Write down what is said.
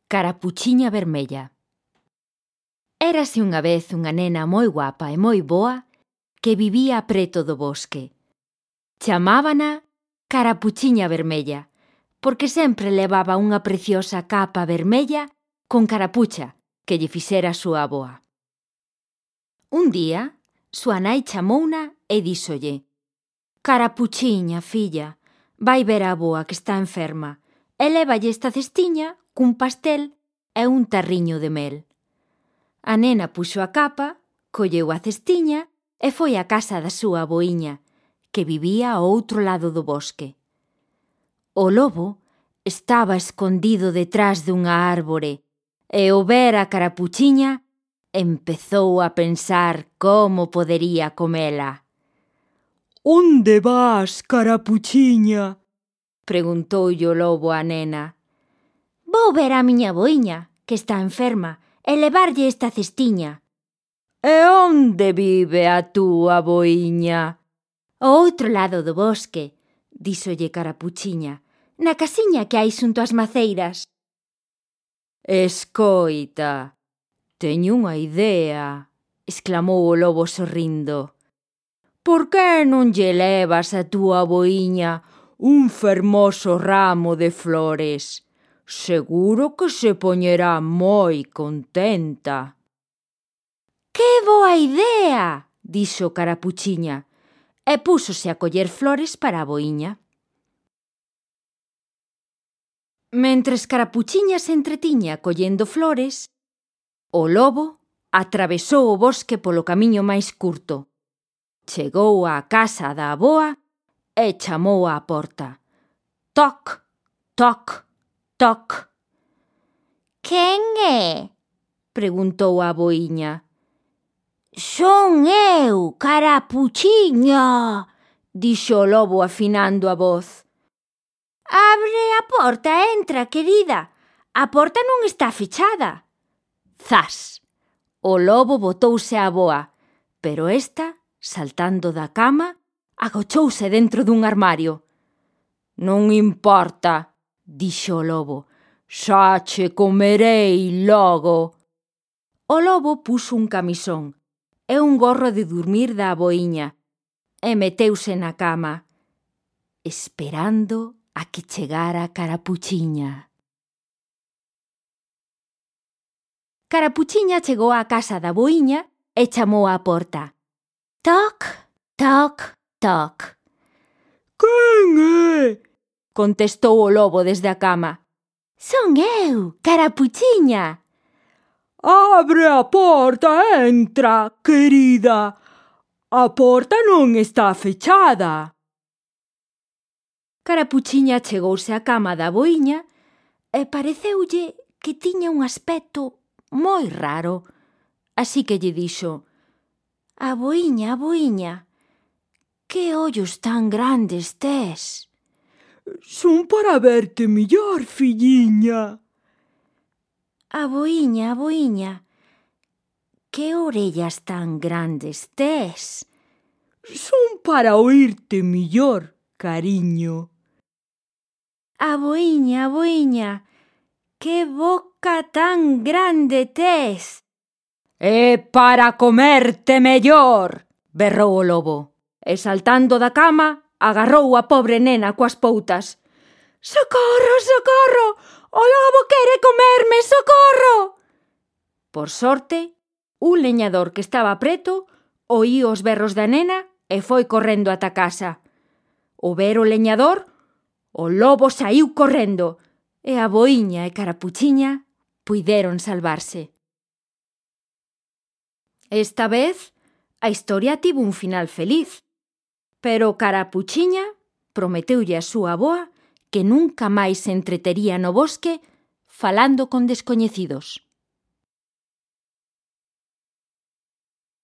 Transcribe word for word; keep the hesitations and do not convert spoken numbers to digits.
Carapuchiña vermella. Érase unha vez unha nena moi guapa e moi boa que vivía preto do bosque. Chamábana Carapuchiña vermella, porque sempre levaba unha preciosa capa vermella con carapucha que lle fixera a súa avoa. Un día, súa nai chamouna e díxolle: «Carapuchiña, filla, vai ver a avoa que está enferma e lévalle esta cestiña cun pastel e un tarriño de mel». A nena puxo a capa, colleu a cestiña e foi á casa da súa avoiña, que vivía ao outro lado do bosque. O lobo estaba escondido detrás dunha árbore e ao ver a Carapuchiña empezou a pensar como podería comela. «Onde vas, Carapuchiña?» preguntoulle o lobo á nena. «Vou ver a miña avoiña, que está enferma, e levarlle esta cestiña». «E onde vive a túa avoiña?» «Ao outro lado do bosque», díxolle Carapuchiña, «na casiña que hai xunto ás maceiras». «Escoita, teño unha idea», exclamou o lobo sorrindo. «Por que non lle levas a túa avoiña un fermoso ramo de flores? Seguro que se poñerá moi contenta». «Que boa idea!», dixo Carapuchiña, e púxose a coller flores para a avoiña. Mentres Carapuchiña se entretiña collendo flores, o lobo atravesou o bosque polo camiño máis curto. Chegou á casa da avoa e chamou á porta. Toc, toc, toc. «Quen é?», preguntou a avoiña. «Son eu, Carapuchiña», dixo o lobo afinando a voz. «Abre a porta e entra, querida. A porta non está fechada». Zas! O lobo botouse á avoa, pero esta, saltando da cama, agochouse dentro dun armario. «Non importa», dixo o lobo, «xa che comerei logo». O lobo puxo un camisón e un gorro de durmir da avoiña e meteuse na cama, esperando a que chegara Carapuchiña. Carapuchiña chegou á casa da avoiña e chamou á porta. Toc, toc, toc. «Quen é?», contestou o lobo desde a cama. «Son eu, Carapuchiña». «Abre a porta e entra, querida. A porta non está fechada». Carapuchiña chegouse á cama da avoiña e pareceulle que tiña un aspecto moi raro, así que lle dixo: «Avoiña, avoiña, que ollos tan grandes tes». «Son para verte millor, filliña». «Avoiña, avoiña, que orellas tan grandes tes». «Son para oírte millor, cariño». «Avoiña, avoiña, que boca tan grande tes». «É para comerte mellor», berrou o lobo, e saltando da cama agarrou a pobre nena coas poutas. «Socorro, socorro! O lobo quere comerme, socorro!» Por sorte, un leñador que estaba preto oíu os berros da nena e foi correndo ata casa. O ver o leñador, o lobo saíu correndo e a avoiña e Carapuchiña puideron salvarse. Esta vez, a historia tivo un final feliz, pero Carapuchiña prometeulle a súa avoa que nunca máis se entretería no bosque falando con descoñecidos.